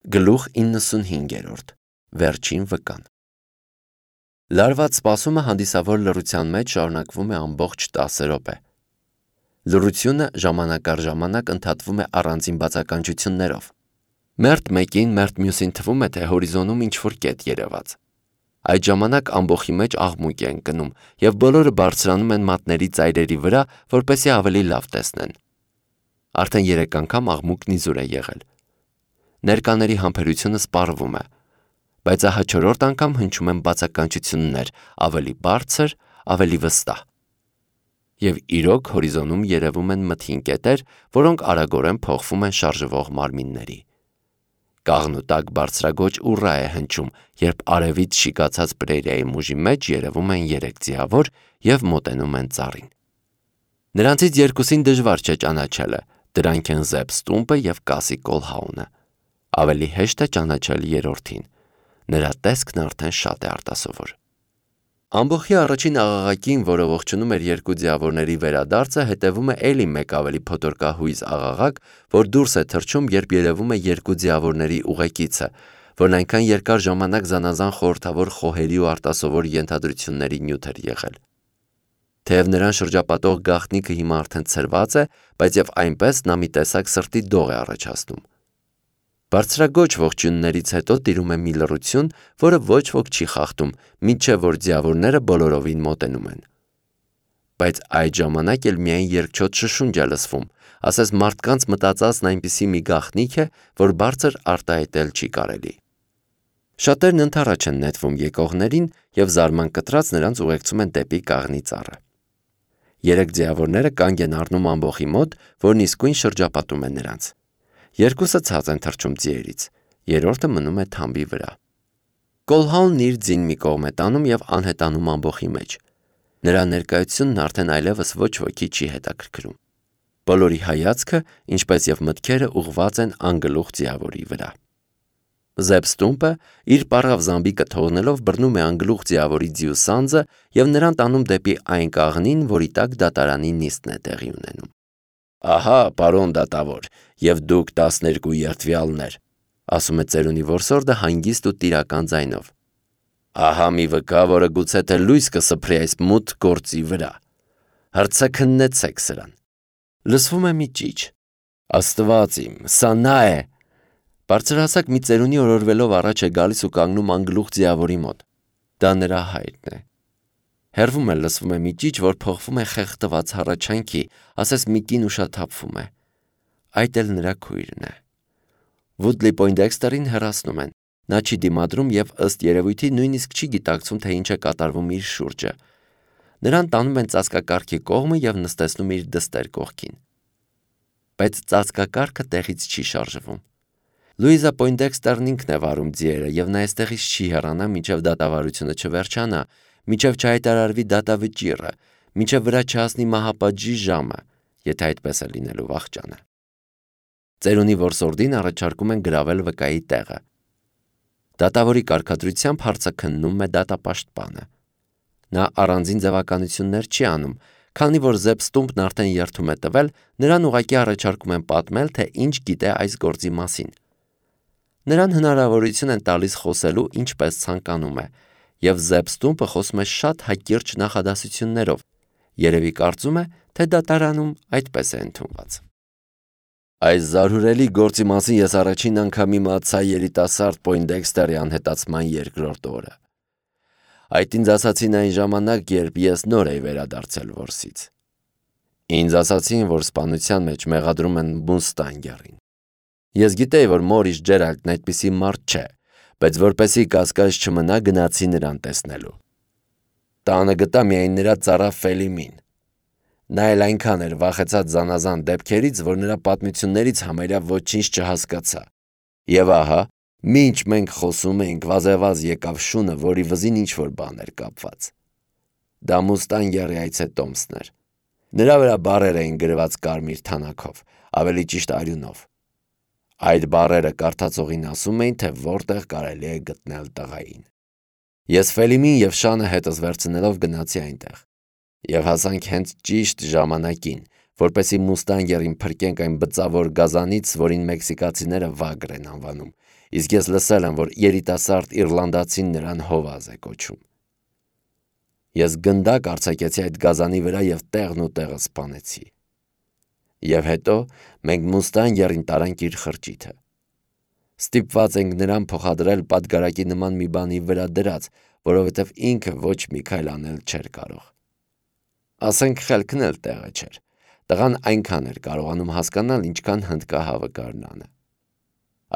Գլուխ 95 Վերջին վկան Լարված սպասումը հանդիսավոր լռության մեջ շարունակվում է ամբողջ 10 րոպե։ Լռությունը ժամանակ առ ժամանակ ընդհատվում է առանձին բացականչություններով։ Մերթ մեկին, մերթ մյուսին թվում է, թե հորիզոնում ինչ-որ կետ երևաց։ Այդ ժամանակ ամբոխի մեջ աղմուկ է ընկնում, և բոլորը բարձրանում են մատների ծայրերի վրա, որպեսզի ավելի լավ տեսնեն։ Արդեն 3 անգամ աղմուկն իզուր է եղել։ Ներկաների համբերությունը սպառվում է, բայց ահա 4-րդ անգամ հնչում են բացականչություններ, ավելի բարձր, ավելի վստահ։ Եվ իրոք հորիզոնում երևում են մթին կետեր, որոնք արագորեն փոխվում են շարժվող մարմինների։ Կաղնուտակ բարձրագոչ ուռա է հնչում, երբ արևից շիկացած պրերիայի մուժի մեջ երևում են 3 ձիավոր և մոտենում են ծառին։ Նրանցից երկուսին դժվար չէ ճանաչելը, դրանք են Զեփ Ստումպը և Կասի Կոլհաունը։ Ավելի հեշտ է ճանաչել երրորդին, նրա տեսքն արդեն շատ է արտասովոր։ Ամբոխի առաջին աղաղակին, որը ողջունում էր 2 ձիավորների վերադարձը, հետևում է էլի մեկ ավելի փոթորկահույզ աղաղակ, որ դուրս է թռչում, երբ երևում է 2 ձիավորների ուղեկիցը, որն այնքան երկար ժամանակ զանազան խորհրդավոր խոհերի ու արտասովոր ենթադրությունների նյութ էր եղել։ Թեև նրան շրջապատող գաղտնիքը հիմա արդեն ցրված է, բայց և այնպես նա մի տեսակ սրտի դող է առաջացնում։ Բարձրագոչ ողջույններից հետո տիրում է մի լռություն, որը ոչ ոք չի խախտում, մինչև որ ձիավորները բոլորովին մոտենում են։ Բայց այդ ժամանակ էլ միայն երկչոտ շշունջ է լսվում, ասես մարդկանց մտածածն այնպիսի մի գաղտնիք է, որ բարձր արտահայտել չի կարելի։ Շատերն ընդառաջ են նետվում եկողներին և զարման կտրած նրանց ուղեկցում են դեպի կաղնի ծառը։ 3 ձիավորները կանգ են առնում ամբոխի մոտ, որն իսկույն շրջապատում է նրանց։ 2-ը ցած են թռչում ձիերից, երրորդը մնում է թամբի վրա։ Կոլհաունն իր ձին մի կողմ է տանում և անհետանում ամբոխի մեջ։ Նրա ներկայությունն արդեն այլևս ոչ ոքի չի հետաքրքրում։ Բոլորի հայացքը, ինչպես և մտքերը ուղղված են անգլուխ ձիավորի վրա։ Զեփ Ստումպը իր պառավ զամբիկը թողնելով բռնում է անգլուխ ձիավորի ձիու սանձը և նրան տանում դեպի այն կաղնին, որի տակ դատարանի նիստն է տեղի ունենում։ «Ահա, պարոն դատավոր, և դուք 12 երդվյալներ», ասում է ծերունի որսորդը հանգիստ ու տիրական ձայնով։ «Ահա մի վկա, որը գուցե թե լույս կսփռի այս մութ գործի վրա։ Հռցաքննեցեք սրան»։ Լսվում է մի ճիչ։ «Աստված իմ, սա նա է»։ Բարձրահասակ մի ծերունի օրորվելով առաջ է գալիս ու կանգնում անգլուխ ձիավորի մոտ։ Դա նրա հայրն է։ Հեռվում էլ լսվում է մի ճիչ, որ փոխվում է խեղդված հառաչանքի, ասես մի կին ուշաթափվում է։ Այդ էլ նրա քույրն է։ Վուդլի Պոյնդեքստերին հեռացնում են։ Նա չի դիմադրում և ըստ երևույթի նույնիսկ չի գիտակցում, թե ինչ է կատարվում իր շուրջը։ Նրան տանում են ծածկակառքի կողմը և նստեցնում իր դստեր կողքին։ Բայց ծածկակառքը տեղից չի շարժվում։ Լուիզա Պոյնդեքստերն ինքն է վարում ձիերը և նա այստեղից չի հեռանա, մինչև դատավարությունը չվերջանա, մինչև չհայտարարվի դատավճիռը, մինչև վրա չհասնի մահապատժի ժամը, եթե այդպես է լինելու վախճանը։ Ծերունի որսորդին առաջարկում են գրավել վկայի տեղը։ Դատավորի կարգադրությամբ հարցը քննում է դատապաշտպանը։ Նա առանձին ձևականություններ չի անում, քանի որ Զեփ Ստումպն արդեն երդում է տվել, նրան ուղղակի առաջարկում են պատմել, թե ինչ գիտե այս գործի մասին։ Նրան հնարավորություն են տալիս խոսելու ինչպես ցանկանում է, և Զեփ Ստումպը խոսում է շատ հակիրճ նախադասություններով, երևի կարծում է, թե դատարանում այդպես է ընդունված։ Այս զարհուրելի գործի մասին ես առաջին անգամ իմացա երիտասարդ Պոյնդեքստերի անհետացման 2-րդ օրը։ Այդ ինձ ասացին այն ժամանակ, երբ ես նոր էի վերադարձել որսից։ Ինձ ասացին, որ սպանության մեջ մեղադրում են Մուստանգերին։ Ես գիտեի, որ Մորիս Ջերալդն այդպիսի մարդ չէ, բայց որպեսզի կասկած չմնա, գնացի նրան տեսնելու։ Տանը գտա միայն նրա ծառա Ֆելիմին։ Նա էլ այնքան էր վախեցած զանազան դեպքերից, որ նրա պատմություններից համարյա ոչինչ չհասկացա։ Եվ ահա, մինչ մենք խոսում էինք, վազեվազ եկավ շունը, որի վզին ինչ-որ բան էր կապված։ Դա Մուստանգերի այցետոմսն էր։ Նրա վրա բառեր էին գրված կարմիր թանաքով, ավելի ճիշտ արյունով։ Այդ բառերը կարդացողին ասում էին, թե որտեղ կարելի է գտնել տղային։ Ես Ֆելիմին և շանը հետս վերցնելով գնացի այնտեղ։ Եվ հասանք հենց ճիշտ ժամանակին, որպեսի Մուստանգերին փրկենք այն բծավոր գազանից, որին մեքսիկացիները վագր են անվանում, իսկ ես լսել եմ, որ երիտասարդ իռլանդացին նրան հովազ է կոչում։ Ես գնդակ արձակեցի այդ գազանի վրա և տեղն ու տեղը սպանեցի։ Եվ հետո մենք Մուստանգերին տարանք իր խրճիթը։ Ստիպված ենք նրան փոխադրել պատգարակի նման մի բանի վրա դրած, որովհետև ինքը ոչ մի քայլ անել չէր կարող։ Ասենք խելքն էլ տեղը չէր։ Տղան այնքան էր կարողանում հասկանալ, ինչքան հնդկահավը գարնանը։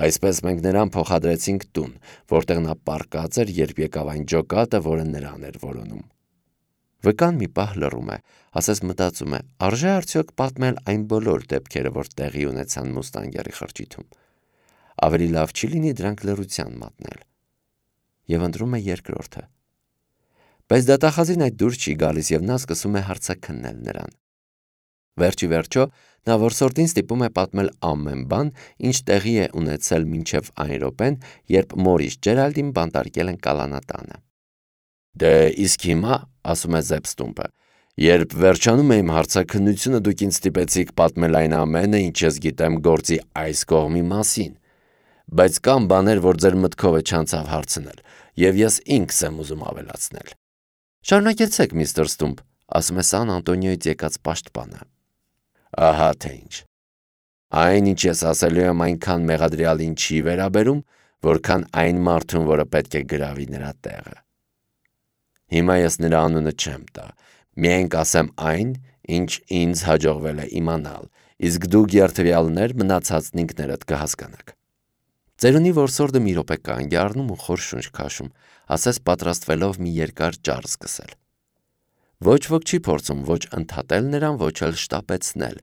Այսպես մենք նրան փոխադրեցինք տուն, որտեղ նա պառկած էր, երբ եկավ այն ջոկատը, որը նրան էր որոնում։ Վկան մի պահ լռում է, ասես մտածում է, արժե արդյոք պատմել այն բոլոր դեպքերը, որ տեղի ունեցան Մուստանգերի խրճիթում։ Ավելի լավ չի լինի դրանք լռության մատնել։ Եվ ընտրում է երկրորդը։ Բայց դատախազին այդ դուրս չի գալիս և նա սկսում է հարցաքննել նրան։ Վերջի վերջո նա որսորդին ստիպում է պատմել ամեն բան, ինչ տեղի է ունեցել մինչև այն րոպեն, երբ Մորիս Ջերալդին բանտարկել են կալանատանը։ Դե իսկ հիմա, ասում է Զեբստումպը, երբ վերջանում է իմ հարցաքննությունը, դուք ինձ ստիպեցիք պատմել այն ամենը, ինչ ես գիտեմ գործի այս կողմի մասին, բայց կան բաներ, որ ձեր մտքով է չանցավ հարցնել, և ես ինքս եմ ուզում ավելացնել։ Շարունակեցեք, միստր Ստումպ, ասում է Սան Անտոնիոյից եկած պաշտպանը։ Ահա թե ինչ։ Այն, ինչ ես ասելու եմ, այնքան մեղադրյալին չի վերաբերում, որքան այն մարդուն, որը պետք է գրավի նրա տեղը։ Հիմա ես նրա անունը չեմ տա, միայն կասեմ այն, ինչ ինձ հաջողվել է իմանալ, իսկ դուք երդվյալներ մնացածն ինքներդ կհասկանաք։ Ծերունի որսորդը մի րոպե կանգ է առնում ու խոր շունչ քաշում, ասես պատրաստվելով մի երկար ճառ սկսել։ Ոչ ոք չի փորձում ոչ ընդհատել նրան, ոչ էլ շտապեցնել։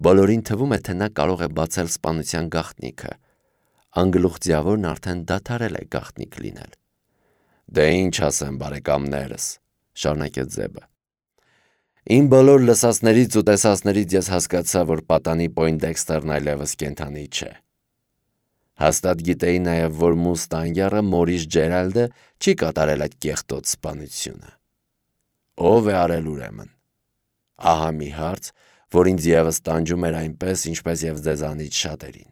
Բոլորին թվում է, թե նա կարող է բացել սպանության գաղտնիքը։ Անգլուխ ձիավորն արդեն դադարել է գաղտնիք լինել։ Դե ինչ ասեմ, բարեկամներս, շարունակեց Զեբը։ Իմ բոլոր լսածներից ու տեսածներից ես հասկացա, որ պատանի Պոյնդեքստերն այլևս կենդանի չէ։ Հաստատ գիտեի նաև, որ Մուստանգերը Մորիս Ջերալդը չի կատարել այդ կեղտոտ սպանությունը։ Ո՞վ է արել ուրեմն։ Ահա մի հարց, որ ինձ ևս տանջում էր այնպես, ինչպես և ձեզանից շատերին։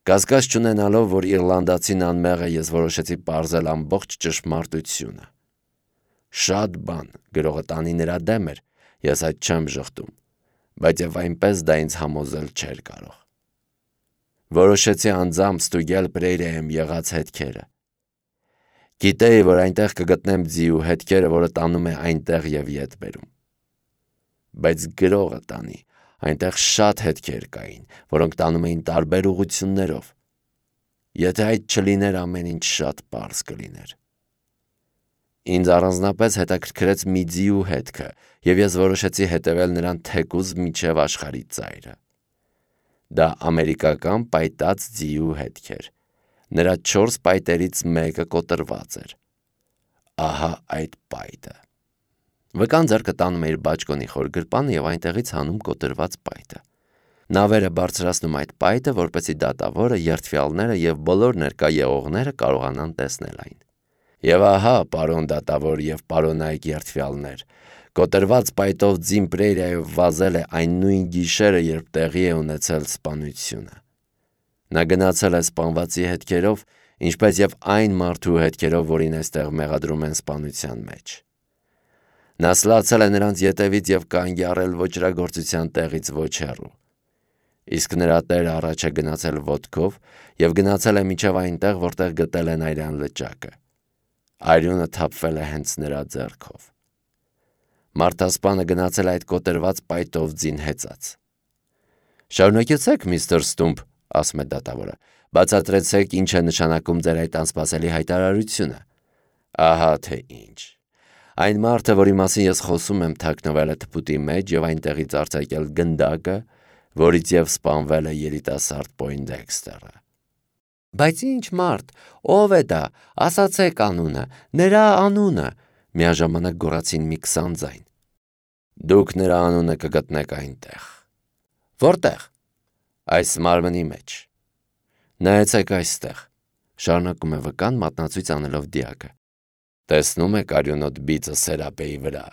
Կասկած չունենալով, որ իռլանդացին անմեղ է, ես որոշեցի պարզել ամբողջ ճշմարտությունը։ Շատ բան գրողը տանի նրա դեմ էր, ես այդ չեմ ժխտում, բայց և այնպես դա ինձ համոզել չէր կարող։ Որոշեցի անձամբ ստուգել Պրեյրեյում եղած հետքերը։ Գիտեի, որ այնտեղ կգտնեմ ձիու հետքերը, որը տանում է այնտեղ և ետ բերում։ Բայց գրողը տանի, այնտեղ շատ հետքեր կային, որոնք տանում էին տարբեր ուղղություններով։ Եթե այդ չլիներ, ամեն ինչ շատ պարզ կլիներ։ Ինձ առանձնապես հետաքրքրեց մի ձիու հետքը, և ես որոշեցի հետևել նրան թեկուզ մինչև աշխարհի ծայրը։ Դա ամերիկական պայտած ձիու հետք էր։ Նրա 4 պայտերից մեկը կոտրված էր։ Ահա այդ պայտը։ Վկան ձեռքը տանում է իր բաճկոնի խոր գրպանը և այնտեղից հանում կոտրված պայտը։ Նավերը բարձրացնում այդ պայտը, որպեսզի դատավորը, երդվյալները և բոլոր ներկա եղողները կարողանան տեսնել այն։ Եվ ահա, պարոն դատավոր և պարոնայք երդվյալներ, կոտրված պայտով ձին Պրեյրեյով վազել է այն նույն գիշերը, երբ տեղի է ունեցել սպանությունը։ Նա գնացել է սպանվածի հետքերով, ինչպես և այն մարդու հետքերով, որին այստեղ մեղադրում են սպանության մեջ։ Նա սլացել է նրանց ետևից և կանգ է առել ոճրագործության տեղից ոչ հեռու։ Իսկ նրա տերը առաջ է գնացել ոտքով և գնացել է մինչև այնտեղ, որտեղ գտել են այրան լճակը։ Արյունը թափվել է հենց նրա ձեռքով։ Մարդասպանը գնացել է այդ կոտրված պայտով ձին հեծած։ Շարունակեցեք, միստր Ստումպ, ասում է դատավորը, բացատրեցեք ինչ է նշանակում ձեր այդ անսպասելի հայտարարությունը։ Ահա թե ինչ։ Այն մարդը, որի մասին ես խոսում եմ, թաքնվել է թփուտի մեջ և այնտեղից արձակել գնդակը, որից և սպանվել է երիտասարդ Պոյնդեքստերը։ Բայց ինչ մարդ, ով է դա, ասացեք անունը, նրա անունը, միաժամանակ գոռացին մի 20 ձայն։ Դուք նրա անունը կգտնեք այնտեղ։ Որտեղ։ Այս մարմնի մեջ։ Նայեցեք այստեղ, շարունակում է վկան մատնացույց անելով դիակը։ Տեսնում եք արյունոտ բիծը սերապեի վրա։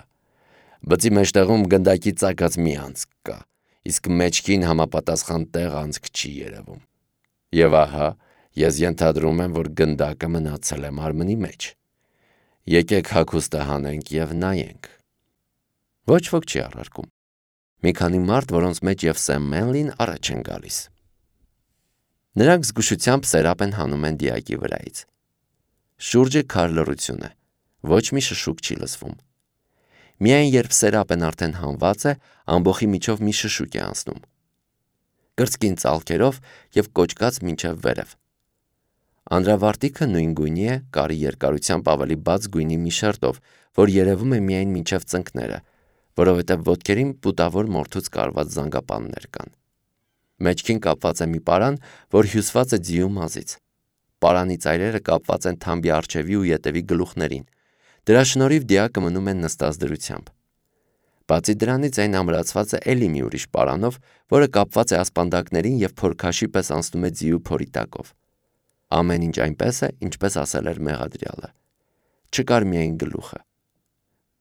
Բծի մեջտեղում գնդակի ծակած մի անցք կա, իսկ մեջքին համապատասխան տեղ անցք չի երևում։ Եվ ահա, ես ենթադրում եմ, որ գնդակը մնացել է մարմնի մեջ։ Եկեք հագուստը հանենք և նայենք։ Ոչ ոք չի առարկում։ Մի քանի մարդ, որոնց մեջ և Սեմ Մենլին առաջ են գալիս։ Նրանք զգուշությամբ սերապ են հանում են դիակի վրայից։ Շուրջը քար լռություն է, ոչ մի շշուկ չի լսվում։ Միայն երբ սերապն արդեն հանված է, ամբոխի միջով մի շշուկ է անցնում։ Կրծքին ծալքերով և կոճկած մինչև վերև։ Անդրավարտիքը նույն գույնի է, կարի երկարությամբ ավելի բաց գույնի մի շերտով, որ երևում է միայն մինչև ծնկները, որովհետև ոտքերին պուտավոր մորթուց կարված զանգապաններ կան։ Մեջքին կապված է մի պարան, որ հյուսված է ձիու մազից։ Պարանի ծայրերը կապված են թամբի առջևի ու ետևի գլուխներին։ Դրա շնորհիվ դիակը մնում է նստած դրությամբ։ Բացի դրանից այն ամրացված է էլի մի ուրիշ պարանով, որը կապված է ասպանդակներին և փորքաշի պես անցնում է ձիու փորի տակով։ Ամեն ինչ այնպես է, ինչպես ասել էր մեղադրյալը։ Չկար միայն գլուխը։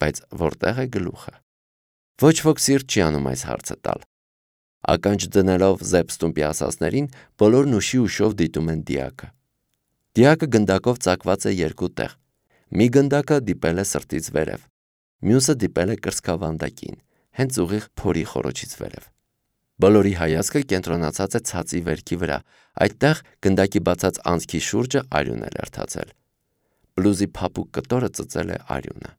Բայց որտեղ է գլուխը։ Ոչ ոք սիրտ չի անում այս հարցը տալ։ Ականջ դնելով զեպստումպի ասածներին, բոլորն ուշի ուշով դիտում են դիակը։ Դիակը գնդակով ծակված է երկու տեղ։ Մի գնդակը դիպել է սրտից վերև, մյուսը դիպել է կրծքավանդակին, հենց ուղիղ փորի խոռոչից վերև։ Բոլորի հայացքը կենտրոնացած է ցածի վերքի վրա, այդտեղ գնդակի բացած անցքի շուրջը արյուն է լերդացել։ Բլուզի փափուկ կտորը ծծել է արյունը։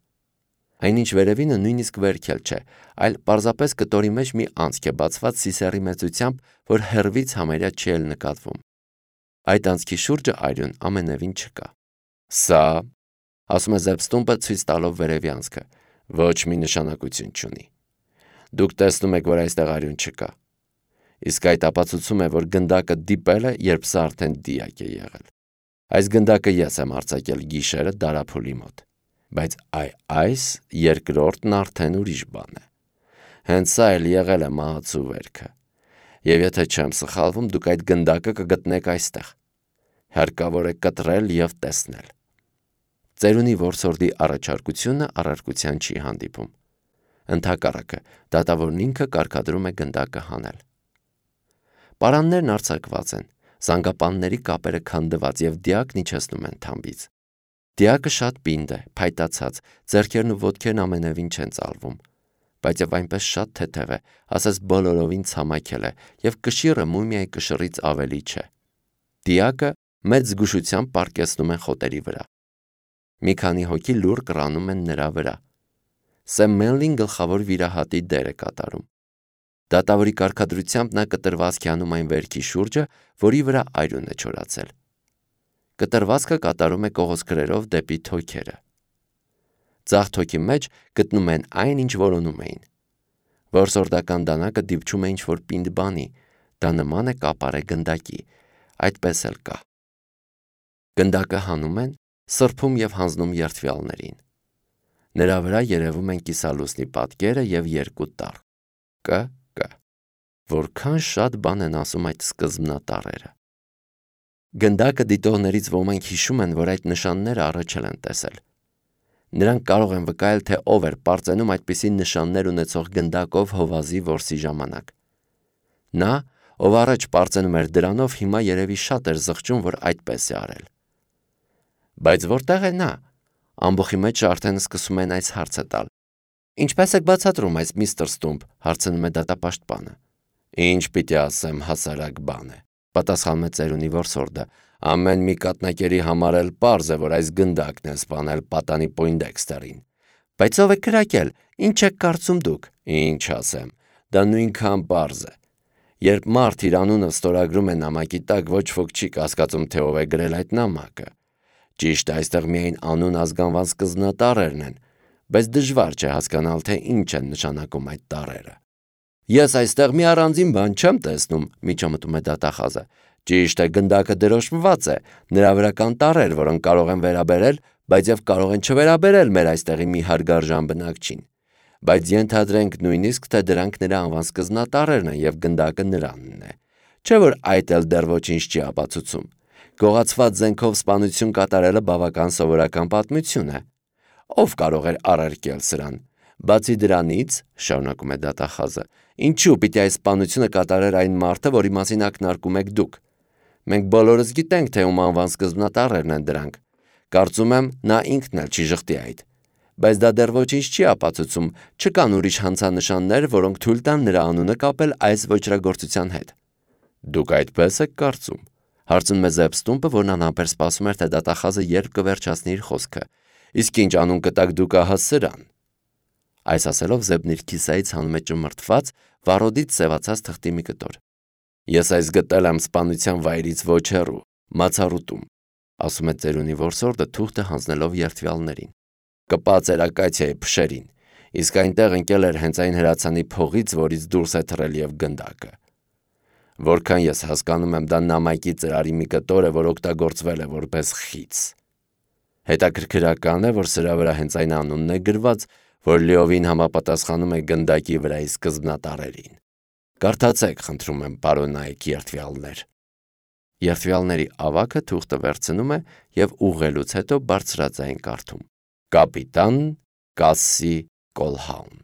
Այնինչ վերևինը նույնիսկ վերքել չէ, այլ պարզապես կտորի մեջ մի անցք է բացված սիսեռի մեծությամբ, որ հեռվից համարյա չի էլ նկատվում։ Այդ անցքի շուրջը արյուն ամենևին չկա։ Սա, ասում է զեպստումպը ցույց տալով վերևի անցքը, ոչ մի նշանակություն չունի։ Դուք տեսնում եք, որ այստեղ արյուն չկա։ Իսկ այդ ապացուցում է, որ գնդակը դիպել է, երբ սա արդեն դիակ է եղել։ Այս գնդակը ես եմ արձակել գիշերը դարափուլի մոտ։ Բայց այս երկրորդն արդեն ուրիշ բան է։ Հենց սա էլ եղել է մահացու վերքը։ Եվ եթե չեմ սխալվում, դուք այդ գնդակը կգտնեք այստեղ։ Հարկավոր է կտրել և տեսնել։ Ծերունի որսորդի առաջարկությունը առարկության չի հանդիպում։ Ընդհակառակը, դատավորն ինքը կարգադրում է գնդակը հանել։ Պարաններն արձակված են, զանգապանների կապերը քանդված և դիակն իջեցնում են թամբից։ Դիակը շատ պինդ է, փայտացած, ձեռքերն ու ոտքերն ամենևին չեն ծալվում, բայց և այնպես շատ թեթև է, ասես բոլորովին ցամաքել է, և կշիռը մումիայի կշռից ավելի չէ։ Դիակը մեծ զգուշությամբ պառկեցնում են խոտերի վրա։ Մի քանի հոգի լուռ կռանում են նրա վրա։ Սեմ Մենլին գլխավոր վիրահատի դեր է կատարում։ Դատավորի կարգադրությամբ նա կտրվածք է անում այն վերքի շուրջը, որի վրա արյուն է չորացել։ Կտրվածքը կատարում է կողոսկրերով դեպի թոքերը։ Ձախ թոքի մեջ գտնում են այն, ինչ որոնում էին։ Որսորդական դանակը դիպչում է ինչ-որ պինդ բանի, դա նման է կապարե գնդակի, այդպես էլ կա։ Գնդակը հանում են, սրբում և հանձնում երդվյալներին։ Նրա վրա երևում են կիսալուսնի պատկերը և երկու տառ։ Կ. Որքան շատ բան են ասում այդ սկզբնատառերը։ Գնդակը դիտողներից ոմանք հիշում են, որ այդ նշանները առաջ են տեսել։ Նրանք կարող են վկայել, թե ով էր պարծենում այդպիսի նշաններ ունեցող գնդակով հովազի որսի ժամանակ։ Նա, ով առաջ պարծենում էր դրանով, հիմա երևի շատ էր զղջում, որ այդպես է արել։ Բայց որտեղ է նա։ Ամբոխի մեջ արդեն սկսում են այս հարցը տալ։ Ինչպես եք բացատրում այս միստր Ստումպ, հարցնում է դատապաշտպանը։ Ինչ պիտի ասեմ, հասարակ բան է, պատասխանում է ծերունի որսորդը։ Ամեն մի կատնակերի համար էլ պարզ է, որ այս գնդակն է սպանել պատանի Պոյնդեքստերին։ Բայց ով է կրակել, ինչ եք կարծում դուք։ Ինչ ասեմ, դա նույնքան պարզ է։ Երբ մարդ իր անունը ստորագրում է նամակի տակ, ոչ ոք չի կասկածում, թե ով է գրել այդ նամակը։ Ճիշտ է, այստեղ միայն անուն ազգանվան սկզբնատառերն են, բայց դժվար չէ հասկանալ, թե ինչ են նշանակում այդ տառերը։ Ես այստեղ մի առանձին բան չեմ տեսնում, միջամտում է դատախազը։ Ճիշտ է, գնդակը դրոշմված է, նրա վրա կան տառեր, որոնք կարող են վերաբերել, բայց և կարող են չվերաբերել մեր այստեղի մի հարգարժան բնակչին։ Բայց ենթադրենք նույնիսկ, թե դրանք նրա անվան սկզբնատառերն են և գնդակը նրանն է։ Չէ՞ որ այդ էլ դեռ ոչինչ չի ապացուցում։ Գողացված զենքով սպանություն կատարելը բավական սովորական պատմություն է։ Ով կարող էր առարկել սրան։ Բացի դրանից, շարունակում է դատախազը, Ինչու պիտի այս սպանությունը կատարեր այն մարդը, որի մասին ակնարկում եք դուք։ Մենք բոլորս գիտենք, թե ում անվան սկզբնատառերն են դրանք։ Կարծում եմ, նա ինքն էլ չի ժխտի այդ։ Բայց դա դեռ ոչինչ չի ապացուցում, չկան ուրիշ հանցանշաններ, որոնք թույլ տան նրա անունը կապել այս ոճրագործության հետ։ Դուք այդպես եք կարծում։ Հարցնում է Զեբստումպը, որն անհամբեր սպասում էր, թե դատախազը երբ կվերջացնի իր խոսքը։ Իսկ ինչ անուն կտակ դուք ահա սրան։ Այս ասելով Զեբն իր քիսայից հանում է ճմրթված, վառոդից սևացած թղթի մի կտոր։ Ես այս գտել եմ սպանության վայրից ոչ հեռու, Մացառուտում, ասում է ծերունի որսորդը թուղթը հանձնելով երթվյալներին։ Կպած էր ակացիայի փշերին, իսկ այնտեղ ընկել էր հենց այն հրացանի փողից, որից դուրս է թռել եւ գնդակը։ Որքան ես հասկանում եմ, դա նամակի ծրարի մի կտոր է, որ օգտագործվել է որպես խից։ Հետաքրքրական է, որ սրա վրա հենց այն անունն է գրված, որ լիովին համապատասխանում է գնդակի վրայի սկզբնատառերին։ Կարդացեք, խնդրում եմ, պարոնայք երթվյալներ։ Երթվյալների ավագը թուղթը վերցնում է եւ ուղղելուց հետո բարձրաձայն կարդում. Կապիտան Կասսի Կոլհաուն։